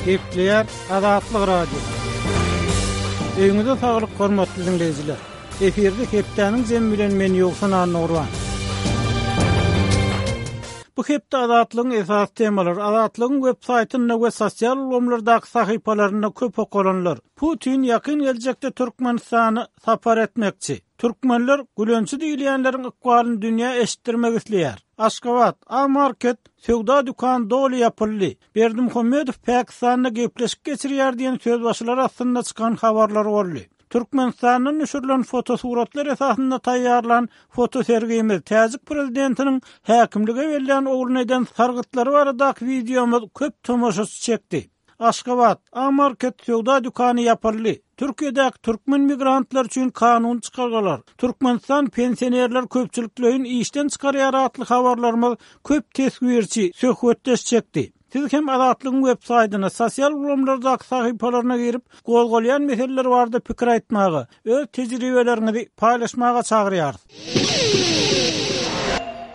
Gepleýär Azatlyk Radiosy. Öýüňize saglyk hormatly diňleýjiler. Efirde hepdäniň jemi bilen men Ýowşan Annagurban. Bu hepde Azatlygyň esasy temalary Azatlygyň web saýtynda we sosial ulgamlardaky sahypalarynda köp okalanlar. Putin ýakyn geljekde Türkmenistana sapar etmekçi. Türkmenler gülençi diýilýänleriň ykbalyny dünýä eşitdirmek isleýär. Aşgabat, A-market söwda dükany doly ýapyldy. Berdimuhamedow Pakistanda gepleşik geçirýär diýen sözbaşylar astynda çykan habarlar boldy. Türkmenistandan düşürilen fotosuratlar esasynda taýýarlan fotosergimiz, täjik prezidentiniň häkimlige bellän ogluna eden sargytlary baradaky wideomyz köp tomaşaçy çekdi. Aşgabat, A-market söwda dükany ýapyldy. Türkiýedäki türkmen migrantlary üçin kanuny çykargalar, Türkmenistan pensionerleri köpçülikleýin işden çykarýar atly habarlarymyz köp teswirçi, söhbetdeş çekdi. Siz hem Azatlygyň web saýtyna, sosial ulgamlardaky sahypalaryna girip, gozgalýan meseleler barada pikir aýtmaga, öz tejribeleriňizi paýlaşmaga çagyrýarys.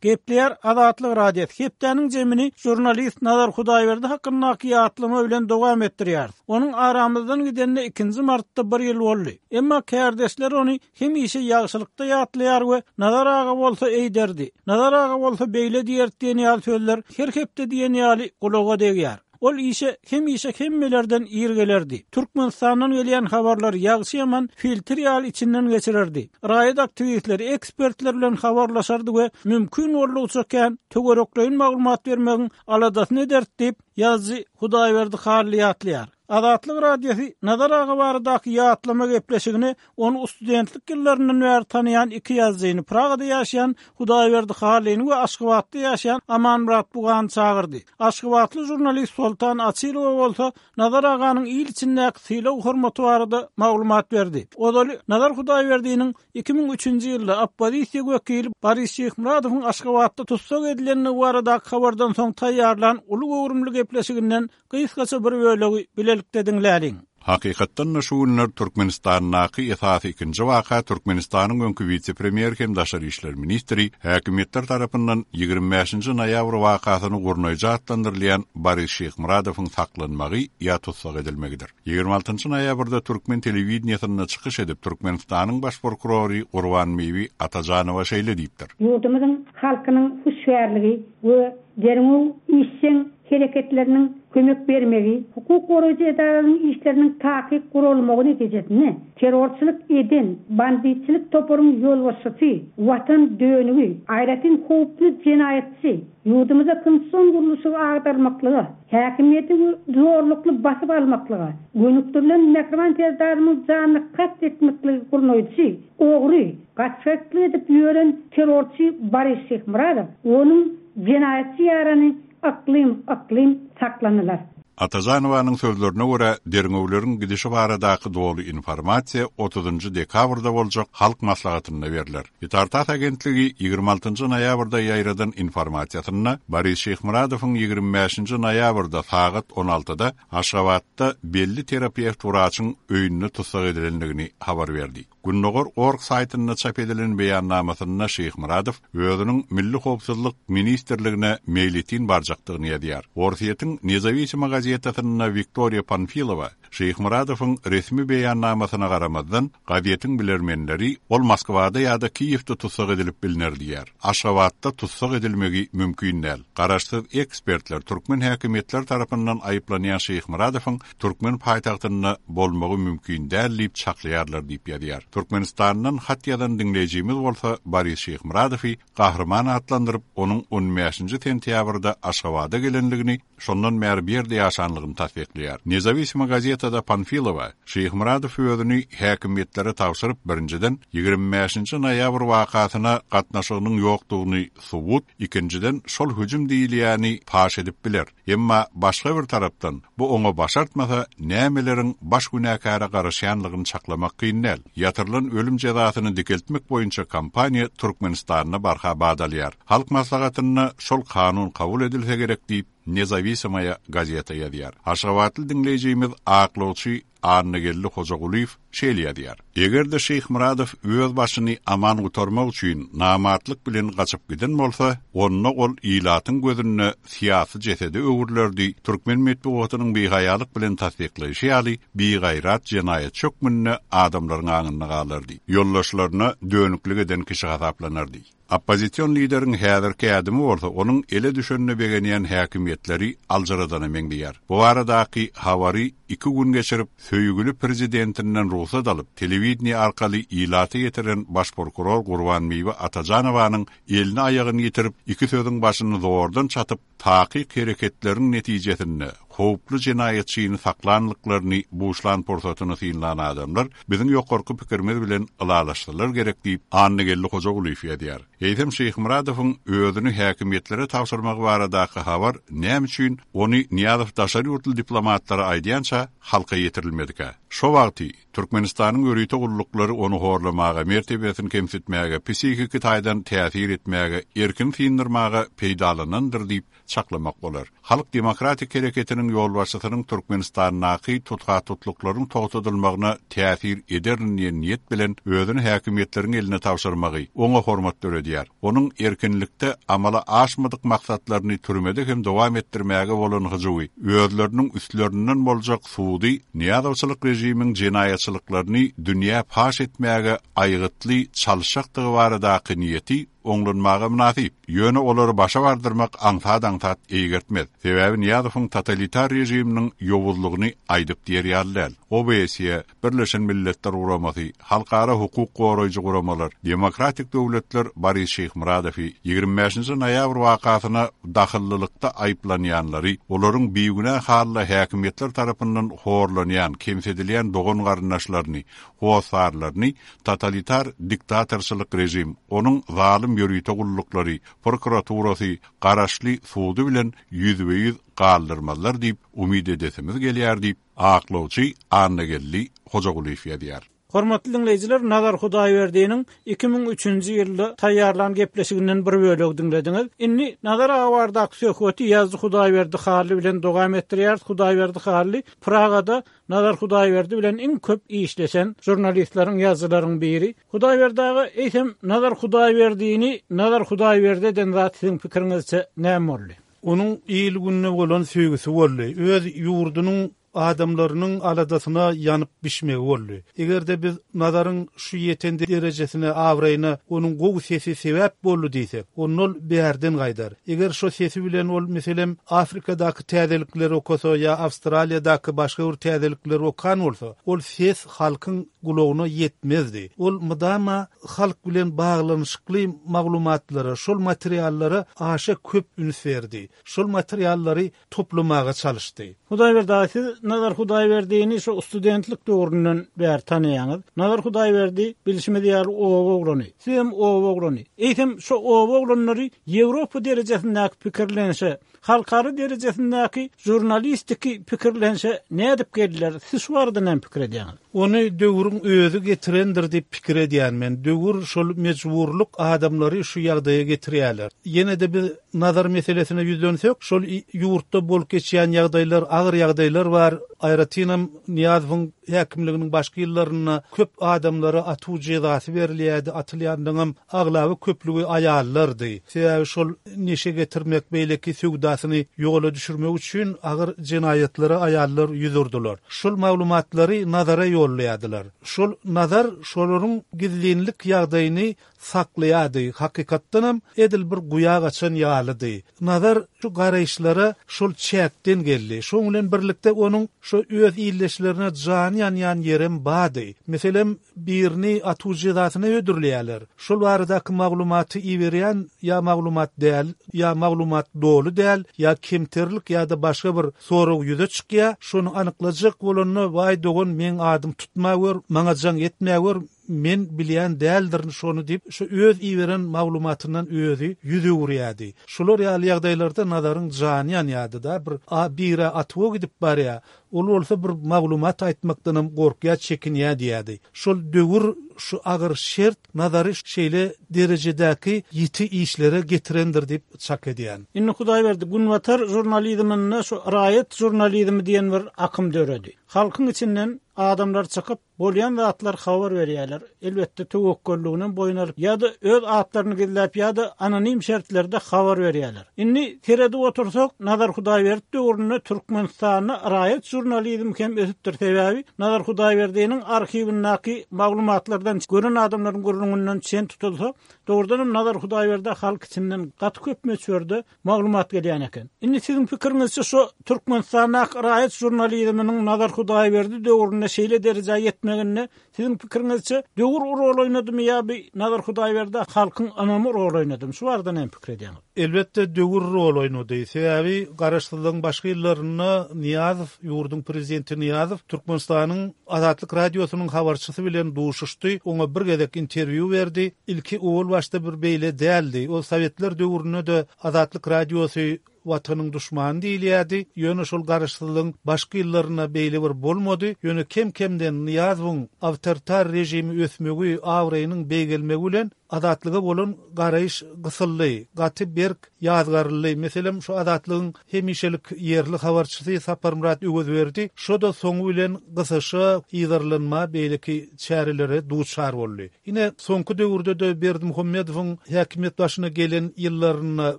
Gepleýär Azatlyk Radiosy hepdäniň jemini žurnalist Nazar Hudaýberdi hakyndaky ýatlama bilen dowam etdirýäris. Onuň aramyzdan gidenine ikinji martda bir ýyl boldy. Emma kärdeşleri ony hemişe ýagşylykda ýatlaýar we Nazar aga bolsa eýderdi, Nazar aga bolsa beýle diýerdi diýen ýaly sözler her hepde diýen ýaly gulaga degýär. Ol işe hemişe hemmelerden ir gelerdi. Türkmenistandan gelýän habarlary ýagşy-ýaman filtr ýaly içinden geçirerdi. Raýat aktiwistleri, ekspertler bilen habarlaşardy we mümkin boldugyça kän töwerekleýin maglumat bermegiň aladasyny ederdi diýip, ýazyjy Hudaýberdi Hally ýatlaýar. Azatlyk Radiosy Nazar aga baradaky ýatlama gepleşigini Ony studentlik ýyllaryndan bäri tanaýan iki ýazyjyny, Pragada ýaşaýan Hudaýberdi Hallyny we Aşgabatda ýaşaýan Amanmyrat Bugany çagyrdy. Aşgabatly žurnalist Soltan Açylowa bolsa Nazar aganyň il içindäki sylag-hormaty barada maglumat berdi. Ozaly Nazar Hudaýberdiniň 2003-nji ýylda oppozisiýa wekili Boris Şyhmyradowyň Aşgabatda tussag edilendigi baradaky habardan soň taýýarlan uly göwrümli gepleşiginden Gysgaça bir bölegi bilelikde diňläliň. Hakykatdan-da şu günler Türkmenistandaky esasy ikinji waka Türkmenistanyň öňki wise-premýeri hem daşary işler ministri, häkimiýetler tarapyndan 25 nji noýabr wakasyny gurnaýjy atlandyrylýan Boris Şyhmyradowyň saklanmagy ýa tussag edilmegidir. 26 njy noýabrda türkmen telewideniýesinde çykyş edip Türkmenistanyň baş prokurory Gurbanbibi Atajanowa şeýle diýipdir. Ýurdumyzyň halkynyň hüşgärligi we derňew işjeň hereketleriniň kömek bermegi, hukuk goraýjy edaralaryň işleriniň takyk guralmagy netijesinde terrorçylyk eden banditçilik toparyň ýolbaşçysy, watan dönügi, aýratyn howply jenaýatçy, ýurdumyzda konstitusion gurluşygy agdarmaklyga, häkimiýeti zorlukly basyp almaklyga gönükdirilen Mähriban Serdarymyň janyna kast etmekligi gurnaýjy, ogry, gaçgaklyk edip ýören terrorçy Boris Şyhmyradow, onuň jenaýatçy ýarany Yklym, yklym saklanylar. Atajanowanyň sözlerine görä, derňewleriň gidişi baradaky doly informasiýa otuzynjy dekabrda boljak Halk Maslahatynda berler. Itar-tass agentligi 26 nji noýabrda ýaýradan informasiýasynda Boris Şyhmyradowyň 25 nji noýabrda sagat on altyda Aşgabatda belli terapewt wraçyň öýünde tussag edilendigini habar berdi. Gündogar org saýtynda çap edilen beýannamasynda Şyhmyradow özüniň Milli howpsuzlyk ministrligine meýletin barjakdygyny ýazýar. Orsýetiň Nezawisima gazetasynda Wiktoriýa Panfilowa Şyhmyradowyň resmi beýannamasyna garamazdan, gazetiň bilermenleri ol Moskwada ýa-da Kiýewde tussag edilip bilner diýýär. Aşgabatda tussag edilmegi mümkin däl. Garaşsyz ekspertler türkmen häkimiýetleri tarapyndan aýyplanýan Şyhmyradowyň türkmen paýtagtynda bolmagy mümkin däl diýip çaklaýarlar diýip ýazýar. Türkmenistandan hat ýazan diňleýjimiz bolsa Boris Şyhmyradowy gahryman atlandyryp, onuň on bäşinji sentýabrda Aşgabada gelendigini, şondan bäri bu ýerde ýaşanlygyny tassyklaýar. Nezawisima gazetada Panfilowa, Şyhmyradow özüni häkimiýetlere tabşyryp, birinjiden, 25 nji noýabr wakasyna gatnaşygynyň ýokdugyny subut, ikinjiden, şol hüjüm diýilýäni paş edip biler. Emma başga bir tarapdan, bu oňa başartmasa, nämeleriň baş günäkäre garaşýanlygyny çaklamak kyn däl. Ýatyrylan ölüm jezasyny dikeltmek boýunça kampaniýa Türkmenistanda barha bat alýar. Halk Maslahatynda şol kanun kabul edilse gerek diýip, Nezawisamaýa gazeta ýazýar. Aşgabatly diňleýjimiz aklawçy. Annageldi Hojagulyýew şeýle ýazýar, Eger-de Şyhmyradow öz başyny aman gutarmak üçin namartlyk bilen gaçyp giden bolsa, onda ol ilatyň gözünde syýasy jesede öwrülerdi, türkmen metbugatynyň bihaýalyk bilen tassyklaýşy ýaly, bigaýrat jenaýatçy hökmünde adamlaryň aňynda galardy, ýoldaşlaryna dönüklik eden kişi hasaplanardy. Oppozision lideriň häzirki ädimi bolsa onuň ele düşenine begenýän häkimiýetleri aljyradana meňzeýär. Bu baradaky habary iki gün geçirip, söýgüli prezidentinden rugsat alyp, telewideniýe arkaly ilata ýetiren baş prokuror Gurbanbibi Atajanowanyň elini-aýagyny ýitirip, iki sözüň başyny zordan çatyp, takyk hereketleriň netijesinde howply jenaýatçyny saklanlyklaryny buşlan pursatyny synlan adamlar biziň ýokarky pikirimiz bilen ylalaşsalar gerek diýip, Annageldi Hojagulyýew ýazýar. Eýsem Şyhmyradowyň özüni häkimiýetlere tabşyrmagy baradaky habar näme üçin ony Nyýazow daşary ýurtly diplomatlara aýdýança halka ýetirilmedikä? Şo wagty Türkmenistanyň ýörite gulluklary ony horlamaga, mertebesini kemsitmäge, psihiki taýdan täsir etmäge, erkini syndyrmaga peýdalanandyr diýip çaklamak bolar. Halk demokratik hereketiniň ýolbaşçysynyň Türkmenistandaky tutha-tutluklaryň togtadylmagyna täsir ederin diýen niýet bilen özüni häkimiýetleriň eline tabşyrmagy oňa hormat döredýär. Onuň erkinlikde amala aşmadyk maksatlaryny türmede hem dowam etdirmäge bolan hyjuwy, özleriniň üstlerinden boljak sudy Nyýazowçylyk režimiň jenaýatçylyklaryny dünýä paş etmäge aýgytly çalyşjakdygy baradaky niýeti oňlanmaga mynasyp. Ýöne olary başa bardyrmak aňsat-aňsat eýgertmez. Sebäbi Nyýazowyň totalitar režiminiň ýowuzlygyny aýdyp diýer ýaly däl. OBSE, Birleşen Milletler Guramasy, halkara hukuk goraýjy guramalar, demokratik döwletler Boris Şyhmyradowy 25-nji noýabr wakasyna dahyllylykda aýyplanýanlary, olaryň bigünä halda häkimiýetler tarapyndan horlanýan, kemsidilýän dogan-garyndaşlaryny, hossarlaryny totalitar diktatorçylyk režim, onuň zalym ýörite gulluklary, prokuraturasy, garaşly sudy bilen ýüzbe-ýüz galdyrmazlar diýip umyt edesimiz gelýär diýip, Aklawçy Annageldi Hojagulyýew ýazýar. Hormatly diňleýjiler, Nazar Hudaýberdiniň 2003-nji ýylda taýýarlan gepleşiginden bir bölegi diňlediňiz. Indi Nazar aga baradaky söhbeti ýazyjy Hudaýberdi Hally bilen dowam etdirýäris. Hudaýberdi Hally Pragada Nazar Hudaýberdi bilen iň köp işleşen žurnalistleriň, ýazyjylaryň biri. Hudaýberdi aga, eýsem Nazar Hudaýberdini Nazar Hudaýberdi eden zat siziň pikiriňizçe näme boldy? Onuň il-gününe bolan söýgüsi boldy. Öz ýurdunyň adamlarynyň aladasyna ýanyp bişmegi boldy. Eger-de biz Nazaryň şu ýeten derejesine, abraýyna onuň gowy sesi sebäp boldy diýsek, onda ol bärden gaýdar. Eger şo sesi bilen ol, meselem, Afrikadaky täzelikleri okasa ýa Awstraliýadaky başga bir täzelikleri okan bolsa, ol ses halkyň gulagyna ýetmezdi. Ol mydama halk bilen baglanyşykly maglumatlara, şol materiallara aşa köp üns berdi. Şol materiallary toplamaga çalyşdy. Hudaýberdi aga, siz Nazar Hudaýberdini şo studentlik döwründen bäri tanaýaňyz. Nazar Hudaýberdi, bilşimiz ýaly, oba oglany. Sizem oba oglany. Eýsem, şo oba oglanlary Ýewropa derejesindäki pikirlenişe, Halkara derejesindäki žurnalistiki pikirlenişe nädip geldiler? Siz şu barada näme pikir edýäňiz? Ony döwrüň özi getirendir diýip pikir edýän men. Döwür şol mejburlyk adamlary şu ýagdaýa getirýärler. Ýene-de biz Nazar meselesine ýüzlensek, şol ýurtda bolup geçýän ýagdaýlar, agyr ýagdaýlar bar. Aýratynam Nyýazowyň häkimliginiň başky ýyllarynda köp adamlara atuw jezasy berilýärdi, atylýanlaryňam aglaba köplügi aýallardy. Sebäbi şol neşe getirmek, beýleki söwdasyny ýola düşürmek üçin agyr jenaýatlara aýallar ýüz urdular. Şol maglumatlary Nazara ýollaýardylar. Şol Nazar şolaryň gizlinlik ýagdaýyny saklaýardy. Hakykatdanam edil bir guýa gaçan ýalydy. Nazar şu garaýyşlara şol çäkden geldi. Şoň bilen birlikde onuň şo öz ildeşlerine jany ýanýan ýerem bardy. Meselem, birini atuw jezasyna hödürleýärler. Şol baradaky maglumaty iberýän ýa maglumat däl, ýa maglumat doly däl, ýa kemterlik ýa-da başga bir sorag ýüze çykýar. Şony anyklajak bolanda, Waý dogan, meň adym tutmagör, maňa jaň etmägör, Men bilýän däldirin şony diýip, şu öz iberen maglumatyndan özi ýüz öwürýärdi. Şular ýaly ýagdaýlarda Nazaryň jany ýanýardy-da, bir a bir-ä atuwa gidip barýar. Ol bolsa bir maglumat aýtmakdanam gorkýar, çekinýär diýýärdi. Şol döwür, şu agyr şert Nazary şeýle derejedäki ýiti işlere getirendir diýip çak edýän. Indi Hudaýberdi, günbatar žurnalizminde şu raýat žurnalizmi diýen bir akym döredi. Halkyň içinden adamlar çykyp, bolýan zatlary habar berýärler. Elbetde, töwekgelliginem boýun alyp ýa-da öz atlaryny gizläp ýa-da anonim şertlerde habar berýärler. Indi seredip otursak, Nazar Hudaýberdi döwründe Türkmenistanda raýat žurnalizmi hem ösüpdir. Sebäbi Nazar Hudaýberdiniň arhiwindäki maglumatlardan, gören adamlaryň gürrüňinden çen tutulsa, dogrudanam Nazar Hudaýberdä halk içinden gaty köp möçberde maglumat gelýän eken. Indi siziň pikiriňizçe şu Türkmenistandaky raýat žurnalizminiň Nazar Hudaýberdi döwründe şeýle derejä ýetmeginde siziň pikiriňizçe döwür rol oýnadymy ýa bi Nazar Hudaýberdä halkyň ynamy rol oýnadymy? Şu barada näme pikir edýäňiz? Elbetde döwür rol oýnady. Sebäbi garaşsyzlygyň başky ýyllarynda Nyýazow, ýurduň prezidenti Nyýazow Türkmenistanyň Azatlyk Radiosynyň habarçysy bilen duşuşdy, oňa bir gezek interwýu berdi. Ilki owal başda bir beýle däldi. Ol sowetler döwründe-de Azatlyk Radiosy Watanyň duşmany diýilýärdi. Ýöne şol garaşsyzlygyň başky ýyllarynda beýle bir bolmady. Ýöne kem-kemden Nyýazowyň awtoritar režimi ösmegi, abraýynyň beýgelmegi bilen Azatlyga bolan garaýyş gysyldy, gaty berk ýazgaryldy. Meselem, şu Azatlygyň hemişelik ýerli habarçysy Saparmyrat Öwezberdi şo-da soňy bilen gysyşa, yzarlanma, beýleki çärelere duçar boldy. Ine, soňky döwürde-de Berdimuhamedowyň häkimiýet başyna gelen ýyllarynda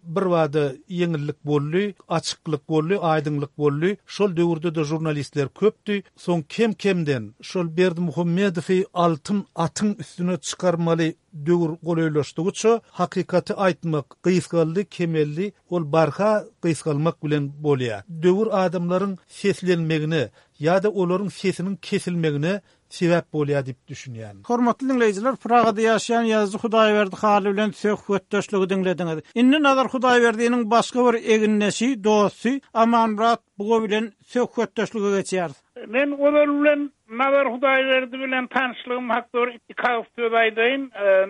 birbada ýeňillik boldy, açyklyk boldy, aýdyňlyk boldy. Şol döwürde-de žurnalistler köpdi. Soň kem-kemden şol Berdimuhamedowy altyn atyň üstüne çykarmaly döwür golaýlaşdygyça, hakykaty aýtmak gysgaldy, kemeldi, ol barha gysgalmak bilen bolýar. Döwür adamlaryň seslenmegine ýa-da olaryň sesiniň kesilmegine sebäp bolýar diýip düşünýän. Hormatly diňleýjiler, Pragada ýaşaýan ýazyjy Hudaýberdi Hally bilen söhbetdeşligi diňlediňiz. Indi Nazar Hudaýberdiniň başga bir egindeşi, dosty Amanmyrat Buga bilen söhbetdeşlige geçýäris. Men ozal bilen Nazar Hudaýberdi bilen tanyşlygym hakda bir iki agyz söz aýdaýyn.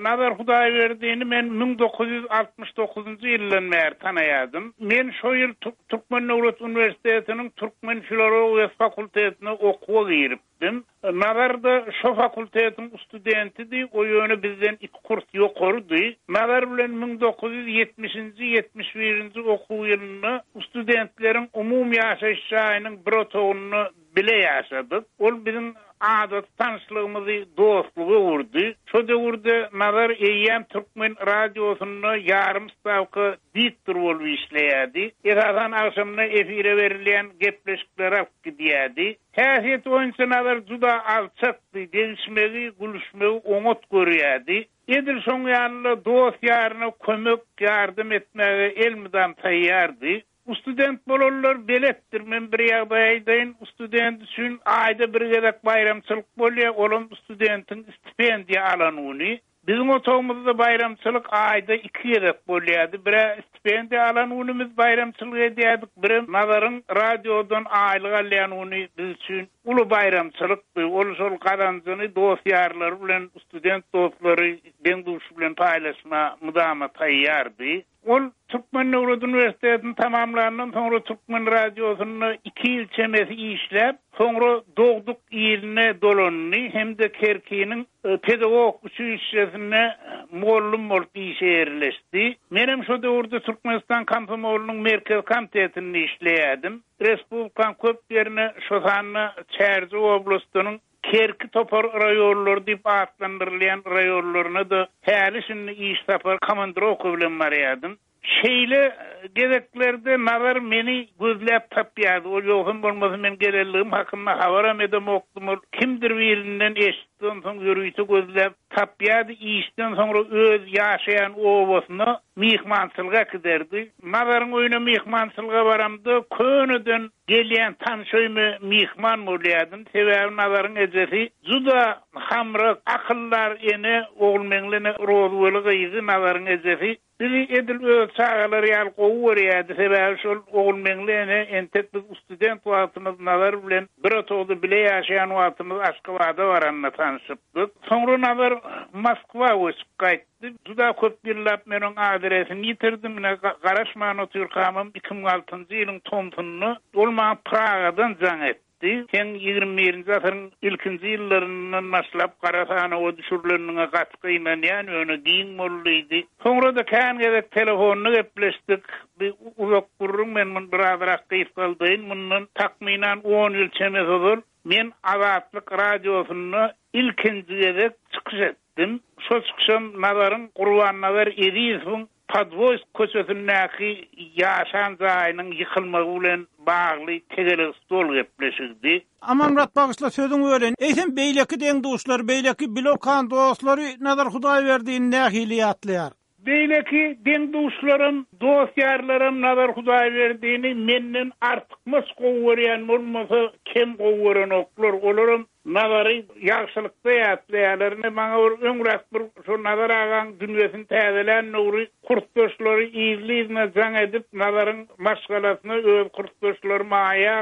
Nazar Hudaýberdini men 1969-njy ýyldan bäri tanaýardym. Men şo ýyl Türkmen döwlet uniwersitetiniň türkmen filologiýasy fakultetine okuwa girip. Dim. Nazar-da şo fakultetiň studentidi, o ýöne bizden iki kurs ýokarydy. Nazar bilen 1970-nji, 71-nji okuw ýylynda studentleriň umumy ýaşaýyş jaýynyň bir otagynda bile ýaşadyk. Ol biziň adaty tanyşlygymyzy dostluga öwürdi. Şo döwürde Nazar eýýäm türkmen radiosynda ýarym stawka diktor bolup işleýärdi. Esasan agşamyna efire berilýän gepleşikleri alyp gidýärdi. Häsiýeti boýunça Nazar juda alçakdy, degişmegi, gülüşmegi oňat görýärdi. Edil şoň ýaly-da dost-ýaryna kömek, ýardam etmäge elmydam taýýardy. Student bolanlar beletdir, men bir ýagdaý aýdaýyn, student üçin aýda bir gezek baýramçylyk bolýar, olam studentiň stipendiýa alan güni. Biziň otagymyzda baýramçylyk aýda iki gezek bolýardy. Bir-ä stipendiýa alan günümiz baýramçylyk edýärdik, birem Nazaryň radiodan aýlyk alýan güni biz üçin uly baýramçylykdy. Ol şol gazanjyny dost-ýarlary bilen, student dostlary, deň-duşy bilen paýlaşma mydama taýýardy. Ol Türkmen döwlet uniwersitetini tamamlandan soňra Türkmen radiosynda iki ýyl çemesi işläp, soňra dogduk iline dolandy hem-de Kerkiniň pedagog uçilişşesinde mugallym bolup işe ýerleşdi. Menem şo döwürde Türkmenistan komsomolynyň Merkezi komitetinde işleýärdim. Respublikaň köp ýerine, şo sanda Çärjew oblastynyň Kerki topar raýonlary diýip atlandyrylýan raýonlaryna-da häli-şindi iş sapar komandirowka bilen barýardym. Şeýle gezeklerde Nazar meni gözläp tapýardy. Ol ýogsam bolmasa men gelenligim hakynda habaram edemokdym. Ol kimdir birinden eşitdi, onsoň ýörite gözläp tapýardy. Işden soňra öz ýaşaýan obasyna myhmançylyga äkiderdi. Nazaryň öýüne myhmançylyga baramda köneden Gelýän tanyş öýüme myhman bolýardym. Sebäbi Nazaryň ejesi juda hamrak, akyldar ene, Ogulmeňli ene Rozweli gyzy Nazaryň ejesi bizi edil öz çagalary ýaly gowy görýärdi. Sebäbi şol Ogulmeňli ene entek biz student wagtymyz Nazar bilen bir otagda bile ýaşaýan wagtymyz Aşgabada baranda tanyşypdyk. Soňra Nazar Moskwa göçüp gaýtdy. Juda köp ýyllap men oň adresini ýitirdim. Ine, garaşman otyrkamam, 2006-njy ýylyň tomsunda ol maňa Pragadan jaň etdi. aýtdy, Seň 21-nji asyryň ilkinji ýyllaryndan başlap gara sanawa düşürileniňe gaty gynanýan, ýöne giň bol diýdi. Soňra-da kän gezek telefonda gepleşdik. Bi uzak gürrüň, men muny birazrak gysgaldaýyn. Mundan takmynan on ýyl çemesi ozal men Azatlyk Radiosynda ilkinji gezek çykyş etdim. Şo çykyşam Nazaryň Gurbannazar Ezizowyň Podwoýsk köçesindäki ýaşan jaýynyň ýykylmagy bilen bagly tegelek stol gepleşigidi. Amanmyrat bagyşla sözüňi böleýin. Eýsem beýleki deň-duşlary, beýleki bile okan dostlary Nazar Hudaýberdini nähili ýatlaýar? Beýleki deň-duşlarym, dost-ýarlarym Nazar Hudaýberdini menden artykmaç gowy görýän bolmasa, kem gowy görenoklar. Olaram Nazary ýagşylykda ýatlaýarlar. Ine, maňa bir öňräk bir şo Nazar agaň dünýesini täzelän döwri kursdaşlary yzly-yzyna jaň edip, Nazaryň maşgalasyna, öz kursdaşlary Maýa,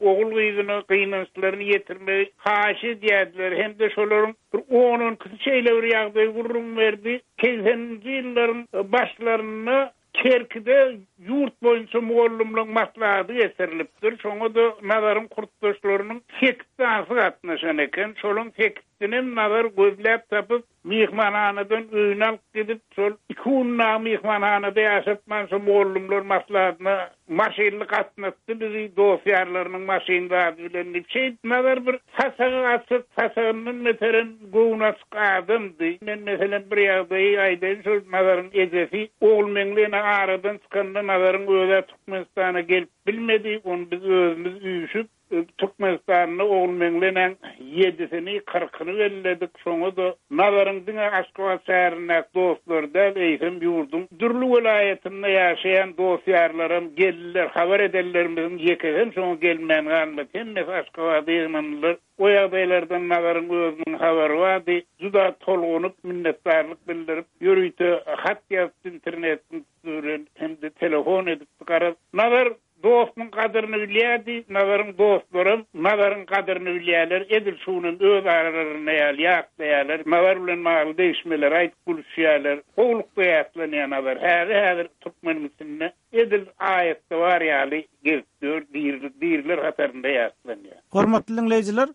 ogul-gyzyna gynançlaryny ýetirmegi haýyş edýärdiler hem-de şolaryň bir on-on ikisi şeýle bir ýagdaýy gürrüň berdi. Segseninji ýyllaryň başlarynda Kerkide ýurt boýunça mugallymlaryň maslahaty geçirilipdir. Şoňa-da Nazaryň kursdaşlarynyň sekiz sanysy gatnaşan eken. Şolaryň sekizsinem Nazar gözläp tapyp, myhmanhanadan öýüne alyp gidip, şol iki gün dagy myhmanhanada ýaşatman, şo mugallymlar maslahatyna Maşynly gatnatdy bizi dost-ýarlarynyň maşyn zady bilen diýip, şeýdip Nazar bir saçagy açyk, saçagyndan beterem göwni açyk adamdy. Men, meselem, bir ýagdaýy aýdaýyn, şol Nazaryň ejesi Ogulmeňli ene aradan çykanda Nazaryň öz-ä Türkmenistana gelip bilmedi, ony biz özümiz üýşüp, Türkmenistanda Ogulmeňli enäň ýedisini, kyrkyny belledik. Şoňa-da Nazaryň diňe Aşgabat şäherindäki dostlary däl, eýsem, ýurduň dürli welaýatynda ýaşaýan dost-ýarlaram geldiler. Habar edenlerimiziň ýekesem şoňa gelmän galmady. Hemmesi Aşgabada ýygnandylar. O ýagdaýlardan Nazaryň özüniň habary bardy. Juda tolgunyp, minnetdarlyk bildirip, ýörite hat ýazypdy internetiň üsti bilen hem-de telefon edipdi. Garaz, Nazar Dostuň gadyryny bilýärdi, Nazaryň dostlaram Nazaryň gadyryny bilýärler, edil şu günem öz aralarynda ýaly ýatlaýarlar, Nazar bilen bagly degişmeleri aýdyp gülüşýärler. Gowulykda ýatlanýar Nazar, häli-häzir türkmeniň içinde edil aýatda bar ýaly gezip ýör, diri, diriler hatarynda ýatlanýar. Hormatly diňleýjiler,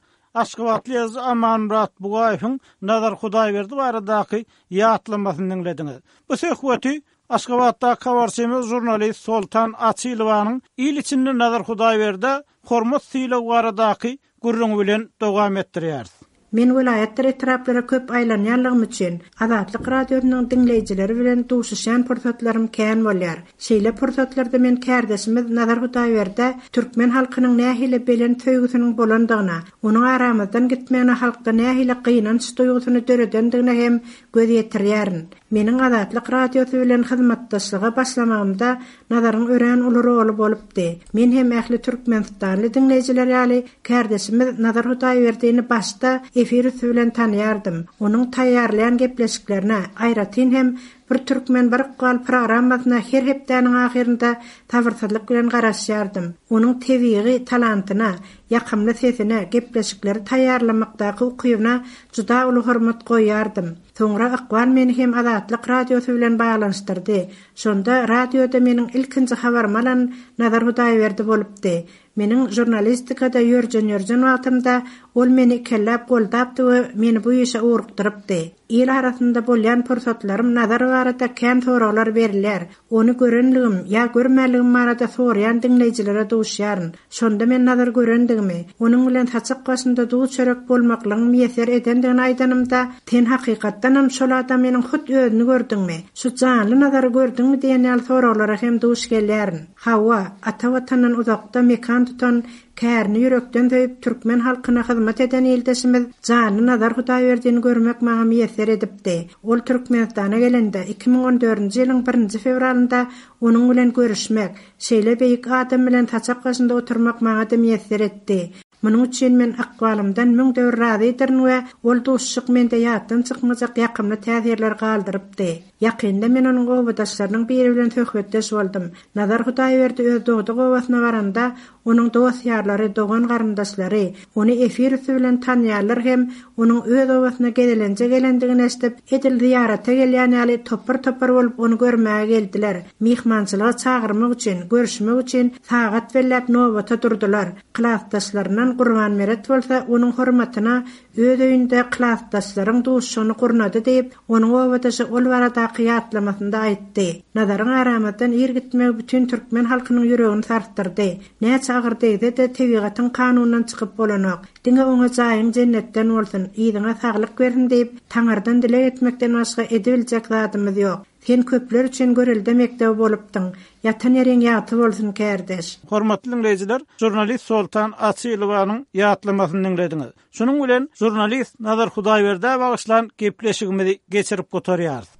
aşgabatly ýazyjy Amanmyrat Bugaýewiň Nazar Hudaýberdi baradaky ýatlamasyny diňlediňiz. Bu söhbeti Aşgabatdaky habarçymyz žurnalist Soltan Açylowanyň il içinde Nazar Hudaýberdä hormat-sylag baradaky gürrüňi bilen dowam etdirýäris. Men welaýatdyr etraplara köp aýlanýanlygym üçin, Azatlyk Radiosynyň diňleýjileri bilen duşuşýan pursatlarym kän bolýar. Şeýle pursatlarda men kärdeşimiz Nazar Hudaýberdä türkmen halkynyň nähili belent söýgüsiniň bolandygyna, onuň aramyzdan gitmegine halkda nähili gynanç duýgusyny döredendigine hem göz ýetirýärin. Meniň Azatlyk Radiosy bilen hyzmatdaşlyga başlamagymda Nazaryň örän uly roly bolupdy. Men hem ähli türkmenistanly diňleýjiler ýaly kärdeşimiz Nazar Hudaýberdini başda efir üsti bilen tanaýardym. Onuň taýýarlaýan gepleşiklerine, aýratyn hem Bir türkmen, bir ykbal programmasyna her hepdäniň ahyrynda sabyrsyzlyk bilen garaşýardym. Onuň tebigy talantyna, ýakymly sesine, gepleşikleri taýýarlamakdaky ukybyna juda uly hormat goýýardym. Soňra ykbal meni hem Azatlyk Radiosy bilen baglanyşdyrdy. Şonda radioda meniň ilkinji habarymy alan Nazar Hudaýberdi bolupdy. Meniň žurnalistikada ýörjen-ýörjen wagtymda ol meni ikelläp goldapdy we meni bu işe ugrukdyrypdy. Il arasynda bolýan pursatlarym Nazar barada kän soraglar berilýär. Ony görenligim ýa görmänligim barada soraýan diňleýjilere duşýaryn. Şonda men Nazary görendigimi, onuň bilen saçak başynda duz-çörek bolmaklygyň miýesser edendigini aýdanymda, Sen hakykatdanam şol adamynyň hut özüni gördüňmi? Şu janly Nazary gördüňmi diýen ýaly soraglara hem duş gelýärin. Hawa, ata Watandan uzakda mekan tutan, kärini ýürekden söýüp, türkmen halkyna hyzmat eden ildeşimiz janly Nazar Hudaýberdini görmek maňa miýesser edipdi. Ol Türkmenistana gelende, 2014-nji ýylyň birinji fewralynda onuň bilen görüşmek, şeýle beýik adam bilen saçak başynda oturmak maňa-da miýesser etdi. Munuň üçin men ykbalymdan müňde bir razydyryn we ol duşuşyk mende ýatdan çykmajak ýakymly täsirler galdyrypdy. Ýakynda men onuň obadaşlarynyň biri bilen söhbetdeş boldum. Nazar Hudaýberdi öz dogduk obasyna baranda, onuň dost-ýarlary, dogan-garyndaşlary, ony efir üsti bilen tanýanlar hem onuň öz obasyna gezelenje gelendigini eşidip, edil zyýarata gelýän ýaly topar-topar bolup ony görmäge geldiler. Myhmançylyga çagyrmak üçin, görüşmek üçin sagat belläp nobata durdular. Klasdaşlaryndan. Soltan Gurbanmeret bolsa onuň hormatyna öz öýünde klasdaşlaryň duşuşygyny gurnady diýip, onuň obadaşy ol baradaky ýatlamasynda aýtdy. Nazaryň aramyzdan ir gitmegi bütin türkmen halkynyň ýüregini sarsdyrdy. Näçe agyr degse-de, tebigatyň kanunyndan çykyp bolanok. Diňe oňa jaýyň jennetden bolsun, yzyňa saglyk bersin diýip, Taňyrdan dileg etmekden başga edibiljek zadymyz ýok. Sen köpler üçin görelde mekdebi bolupdyň. Ýatan ýeriň ýagty bolsun, kärdeş! Hormatly diňleýjiler, žurnalist Soltan Açylowanyň ýatlamasyny diňlediňiz. Şunuň bilen žurnalist Nazar Hudaýberdä bagyşlan gepleşigimizi geçirip gutarýarys.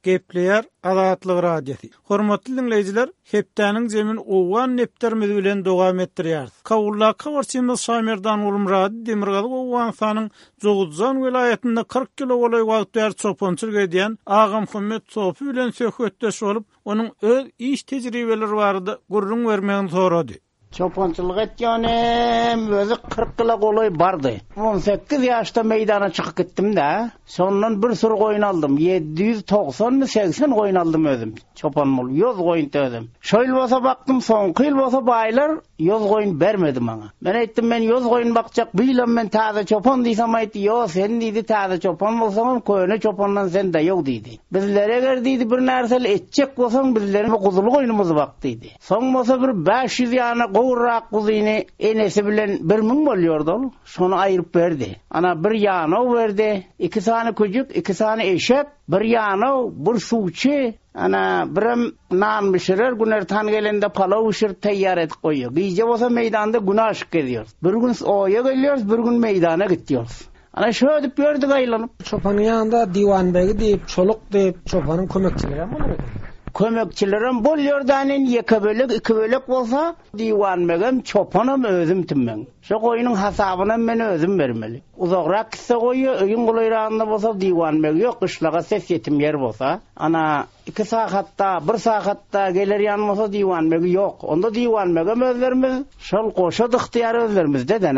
Gepleýär Azatlyk Radiosy. Hormatly diňleýjiler, hepdäniň jemini owgan depderimiz bilen dowam etdirýäris. Kabuldaky habarçymyz Şamerdan Gulmyrady Demirgazyk Owganystanyň Jowuzjan welaýatynda 40 ýyla golaý wagt bäri çopançylyk edýän Agamuhammet Sopy bilen söhbetdeş bolup, onuň öz iş tejribeleri barada gürrüň bermegini sorady. Çopançylyk etýänim özi 40 ýyla golaý bardy. 18 ýaşda meýdana çykyp gitdim-de, şondan bir süri goýun aldym. 790-my, 80 goýun aldym özüm. Çopan bolup, ýoz goýun özüm. Şo ýyl bolsa bakdym, soňky ýyl bolsa baýlar ýoz goýun bermedi maňa. Men aýtdym, men ýoz goýun bakjak, bu ýylam men täze çopan diýsem aýtdy, ýo, sen diýdi, täze çopan bolsaňam, köne çopandan sen daýaw diýdi. Bizlere eger diýdi, bir närseli etjek bolsaň, bizleriň guzuly goýnumyzy bak diýdi. Soň bolsa bir 500 ýana gowurrak guzyny enesi bilen 1000 bolýardy ol, şony aýryp berdi. Ana, bir ýanaw berdi, iki sany küjük, iki sany eşek, bir ýanaw, bir suwçy, ana, birem nan bişirer, günortan gelende palaw bişirip taýýar edip goýýar. Gije bolsa meýdanda günaşyk gezýäris. Bir gün oýa gelýäris, bir gün meýdana gitýäris. Ana şödüp ýördük aýlanyp. Çopanyň ýanynda diwanbegi diýip, çoluk diýip, çopanyň kömekçilerem bolar eken. Kömekçilerem bolýar dänin, ýeke bölek, iki bölek bolsa, diwanbegem, çopanam özüm tümmeň. Şo goýnuň hasabynam men özüm bermeli. Uzagrak gitse goýy, öýüň golaýragynda bolsa diwanbegi ýok, gyşlaga ses ýetim ýer bolsa, ana, Iki sagatda, bir sagatda geler ýan bolsa diwanbegi ýok. Onda diwanbegem özlerimiz, şol goşa ygtyýar özlerimizde-dä.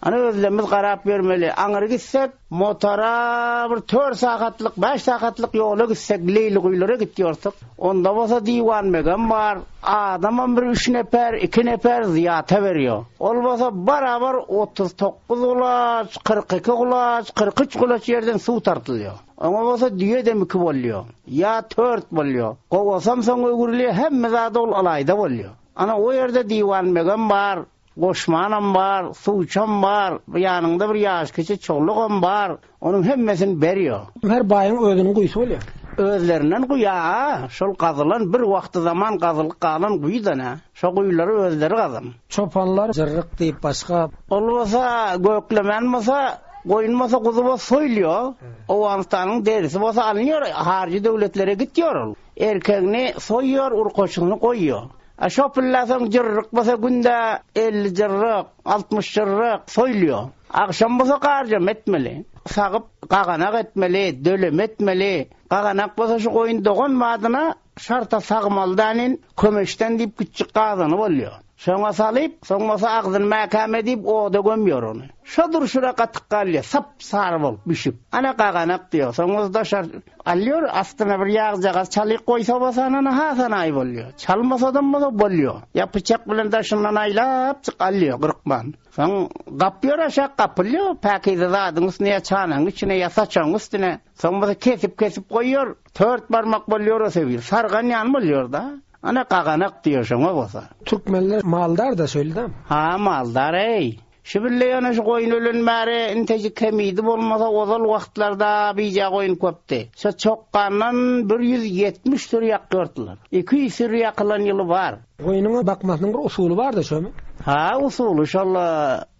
Ana özlerimiz garap ýörmeli. Aňyry gitsek, motora bir tört sagatlyk, bäş sagatlyk ýola gitsek, Leýliguýulara gitýorsyk. Onda bolsa diwanbegem bar, adamam bir üç neper, iki neper zyýata berýär. Ol bolsa barabar 39 gulaç, 42 gulaç, 43 gulaç ýerden suw tartylýar. Oňa bolsa düýedem iki bolýo. Ýa tört bolýo. Gowasam soň öwrülýä, hemme zady ol ylaýda bolýo. Ana, o ýerde diwanbegem bar, goşmanam bar, suwçam bar, bu ýanyňda bir ýaşkiçi çolugam bar, onuň hemmesini berýo. Her baýyň özüniň guýusy bolýa. Özlerinden guýa-a, şol gazylan bir wagty-zaman gazylyp galan guýy-da nä. Şo guýulary özleri gazan. Çopanlar jyrryk diýip başga. Ol bolsa göklemen bolsa, goýun bolsa, guzy bolsa soýulýar. Owganystanyň derisi bolsa alynýar, haryjy döwletlere gitýär ol. Erkegini soýýar, urkaçysyny goýýar. A şo pille soň jyrryk bolsa günde 50 jyrryk, 60 jyrryk soýulýar. Agşam bolsa garjama etmeli. Sagyp gaganak etmeli, döleme etmeli. Gaganak bolsa şu goýun dogan badyna Şarta sagmaly dälin, kömeçden diýip kiçjik gazany bolýar. Şoňa salyp, soň bolsa agzyny mäkäm edip oda gömýär ony. Şo durşuna gatyk galýar, sap-sary bolup bişip. Ana gaganak diýýär. Soň bolsa daşar alýar, astyna bir ýagjagaz çalyk goýsa bolsa ana hasanaý bolýar. Çalmasadam bolsa bolýar. Ýa pyçak bilen daşyndan aýlapjyk alýar gyrkman. Soň gapýar aşak gapylýar, päkize zadyň üstüne ýa çanagyň içine ýa saçagyň üstüne. Soň bolsa kesip-kesip goýýar. Tört barmak bolýar o sebir. Sargan ýaly bolýar-da. Ana gaganak diýýär şoňa bolsa. Türkmenler maldar-da şeýle-dä. Ha, maldar-eý. Şu bille ýöne şu goýun ölen bäri intejik kemidi bolmasa ozal wagtlarda bije goýun köpdi. Şo çokgandan 170 süri ýakýardylar. 200 süri ýakylan ýyly bar. Goýnuň bakmasynyň bir usuly bar-da şomy? Ha, usuly şol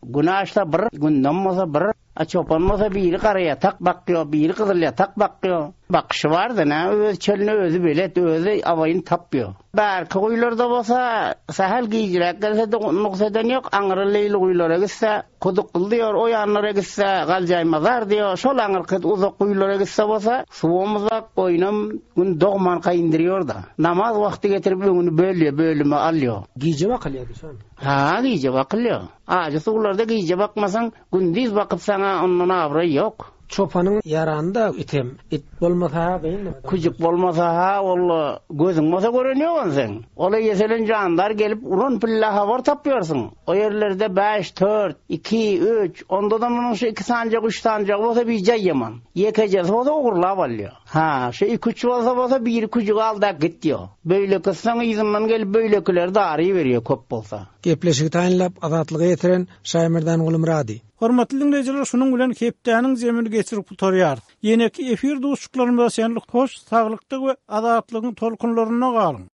günaşda bir, gündem bolsa bir. A çopan bolsa biri garaýatak bakýo, biri gyzylýatak bakýo. Bakyşy bar-da, nä, öz çölüne özi belet, özi awaýyny tapýo. Bärki guýularda bolsa, sähel gijräk gelse-de nugs eden ýok, aňry leýli guýulara gitse, Kudukly diýor, o ýanlara gitse, Galjaýmazar diýor, şol aňyrky uzak guýulara gitse bolsa, suwam uzak, goýnam Gün dogmanka indirýor-da. Namaz wagty getirip öňüni bölýär, bölüme alýo. Gije bakylýardy şol. Ha, gije bakylýar. Ajy suwlarda gije bakmasaň, Gündiz bakyp saňa ondan abraý ýok. Çopanyň ýarany-da item. It bolmasa-ha kyn. Küjük bolmasa-ha walla gözüň bolsa gören ýok ony seň. Ol-a ýeselen jandar gelip uran pille habar tapýarsyň. O ýerlerde bäş, tört, iki, üç, onda-da munuň şu iki sanjak, üç sanjagy bolsa bijaý ýaman. Ýekejesi bolsa ogurlap alýar. Ha, şu iki-üç bolsa bolsa biri küjügi al-da git diýýär. Beýlekisi soň yzyndan gelip beýlekileri daryberýär köp bolsa. Gepleşigi taýynlap Azatlyga ýetiren Şaýmerdan Gulumyrady. Hormatly diňleýjiler şunuň bilen hepdäniň jemini geçirip gutarýarys. Ýeneki efir duşuşyklarymyza çenli hoş saglykda we azatlygyň tolkunlarynda galyň!